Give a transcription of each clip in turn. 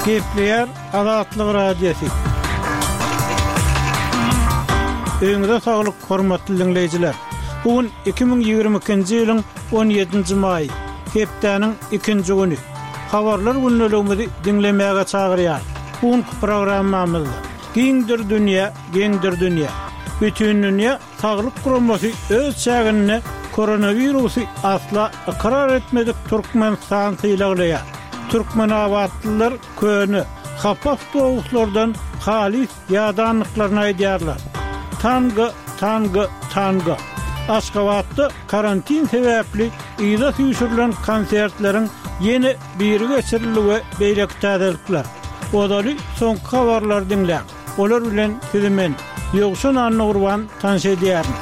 Gepleýär Azatlyk Radiosy. Öýüňize saglyk, hormatly diňleýjiler! Bu gün 2022-nji ýylyň 17-nji maýy, hepdäniň ikinji güni. Habarlar gündeligimizi diňlemäge çagyrýar. Bu günki programmamyzda Giňdir dünýä, geňdir dünýä. Bütindünýä Saglyk guramasy öz çäginde koronawirusy asla ykrar etmedik Türkmenistany sylaglaýar. Türkmenabatlylar köne, hapa awtobuslardan halys ýadandyklaryny aýdýarlar. Tango, tango, tango. Aşgabatda karantin sebäpli yza süýşürilen konsertleriň ýene biri geçirildi we beýleki täzelikler. Ozaly soňky habarlary diňläň. Olar bilen sizi men, Ýowşan Annagurban tanyş edýärin.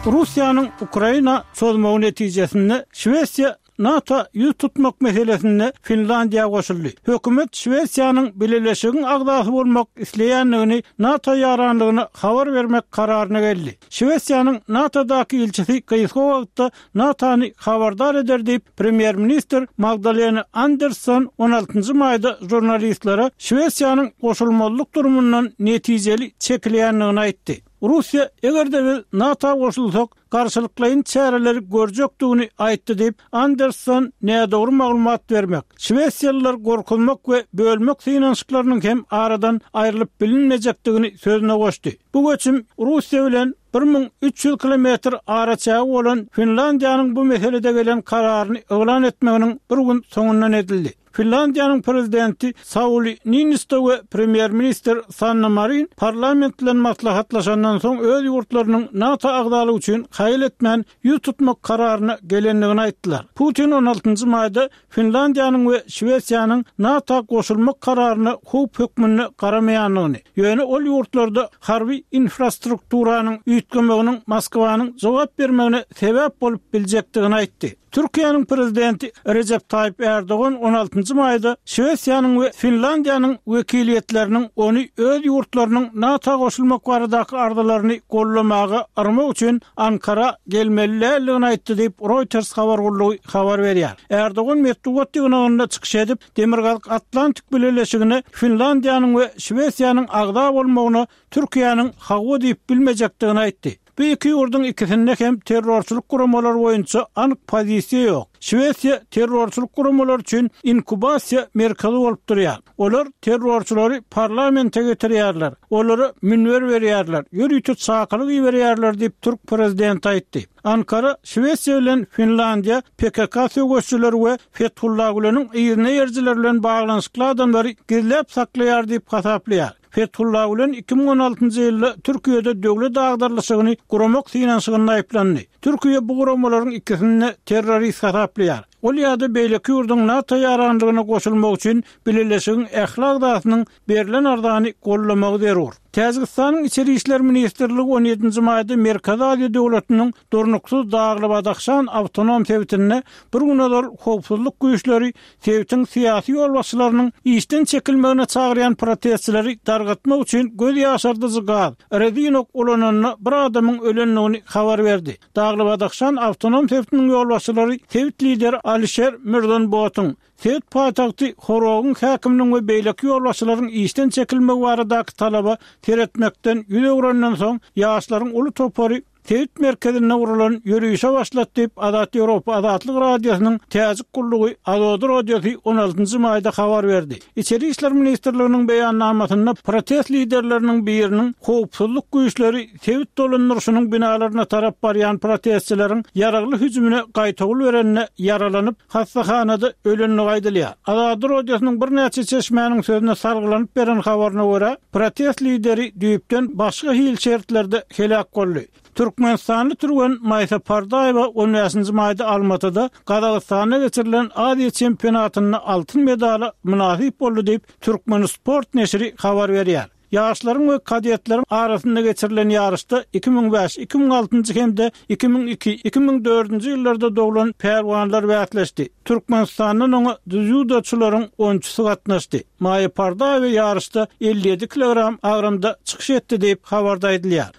Russiýanyň Ukraina çozmagy netijesinde Şwesiýa NATO ýüz tutmak meselesinde Finlandiýa goşuldy. Hökümet Şwesiýanyň Bileleşigiň agzasy bolmak isleýändigini NATO ýaranlygyna habar bermek kararyna geldi. Şwesiýanyň NATO-daky ilçisi gysga wagtda NATO-ny habardar eder diýip, premýer-ministr Magdalena Andersson on altynjy maýda žurnalistlere Şwesiýanyň goşulmazlyk durumyndan netijeli çekilýändigini aýtdy. Russiýa, eger-de biz NATO goşulsak, garşylyklaýyn çäreleri görjekdigini aýtdy diýip, Andersson nädogry maglumat bermek, şwesiýalylary gorkuzmak we bölmek synanyşyklarynyň hem aradan aýrylyp bilinmejekdigini sözüne goşdy. Bu göçüm Russiýa bilen 1300 kilometr araçägi bolan Finlandiýanyň bu meselede gelen kararyny yglan etmeginiň bir gün soňundan edildi. Finlandiýanyň prezidenti Sauli Niinisto we premýer-ministr Sanna Marin parlament bilen maslahatlaşandan soň öz ýurtlarynyň NATO agzalygy üçin haýal etmän ýüz tutmak kararyna gelendigini aýtdylar. Putin on altynjy maýda Finlandiýanyň we Şwesiýanyň NATO goşulmak kararyna howp hökmünde garamaýandygyny, ýöne ol ýurtlarda harby infrastrukturanyň üýtgemeginiň Moskwanyň jogap bermegine sebäp bolup biljekdigini aýtdy. Türkiýäniň Prezidenti Rejep Taýyp Ärdogan on altynjy maýda Şwesiýanyň we Finlandiýanyň wekiliýetleriniň ony öz ýurtlarynyň NATO goşulmak baradaky arzalaryny goldamaga yrmak üçin Ankara gelmeli däldigini aýtdy diýip, Reuters habar gullugy habar berýär. Ärdogan metbugat ýygnagynda çykyş edip, Demirgazyk Atlantik Bileleşigine Finlandiýanyň we Şwesiýanyň agza bolmagyna Türkiýäniň hawa diýip bilmejekdigini aýtdy. Bu iki ýurduň ikisinde hem terrorçylyk guramalary boýunça anyk pozisiýa ýok. Şwesiýa terrorçylyk guramalary üçin inkubasiýa merkezi bolup durýar. Olar terrorçylary parlamente getirýärler, olara münber berýärler, ýörite çakylyk iberýärler diýip, türk prezidenti aýtdy. Ankara Şwesiýa bilen Finlandiýa PKK söweşijileri we Fethullah Güleniň yzyna eýerijileri bilen baglanyşykly adamlary gizläp saklaýar diýip hasaplaýar. Fethullah Gülen 2016-njy ýylda Türkiýede döwlet agdarylyşygyny guramak synanyşygynda aýyplandy. Türkiýe bu guramalaryň ikisini-de terrorist hasaplaýar. Ol ýa-da beýleki ýurduň NATO ýaranlygyna goşulmagy üçin bileleşigiň ähli agzasynyň berlen arzany goldamagy zerur. Täjigistanyň Içeri işler ministrligi on ýedinji maýda Merkezi Aziýa döwletiniň durnuksyz Dagly-Badahşan awtonom sebitinde bir gün ozal howpsuzlyk güýçleri sebitiň syýasy ýolbaşçylarynyň işden çekilmegine çagyrýan protestçileri dargatmak üçin göz ýaşardyjy gaz, rezin ok ulananda bir adamyň ölendigini habar berdi. Dagly-Badahşan awtonom sebitiniň ýolbaşçylary sebit lideri Alişer Mirzonbotyň, sebit paýtagty Horogyň häkiminiň we beýleki ýolbaşçylaryň işden çekilmegi baradaky talaba seretmekden ýüz öwrenden soň, ýaşlaryň uly topary sebit merkezinde guralan ýörişe başlady diýip, Azat Ýewropa Azatlyk Radiosynyň Täjik gullugy Azodi Radiosy on altynjy maýda habar berdi. Içeri işler ministrliginiň beýannamasynda protest liderleriniň biriniň howpsuzlyk güýçleri sebit dolandyryşynyň binalaryna tarap barýan protestçileriň ýaragly hüjümine gaýtawul berende ýaralanyp, hassahanada ölendigi aýdylýar. Azatlyk Radiosynyň birnäçe çeşmäniň sözüne salgylanyp beren habaryna görä, protest lideri düýpden başga hili şertlerde heläk boldy. Türkmenistanly türgen Maýsa Pardaýewa on bäşinji maýda Almatyda, Gazagystanda geçirilen Aziýa çempionatynda altyn medala mynasyp boldy diýip, Türkmensport neşiri habar berýär. Ýaşlaryň we kadetleriň arasynda geçirilen ýaryşda 2005, 2006-njy hem-de 2002, 2004-nji ýyllarda doglan pälwanlar bäsleşdi. Türkmenistandan oňa dzýudoçylaryň onçusy gatnaşdy. Maýa Pardaýewa ýaryşda 57 kilogram agramda çykyş etdi diýip, habarda aýdylýar.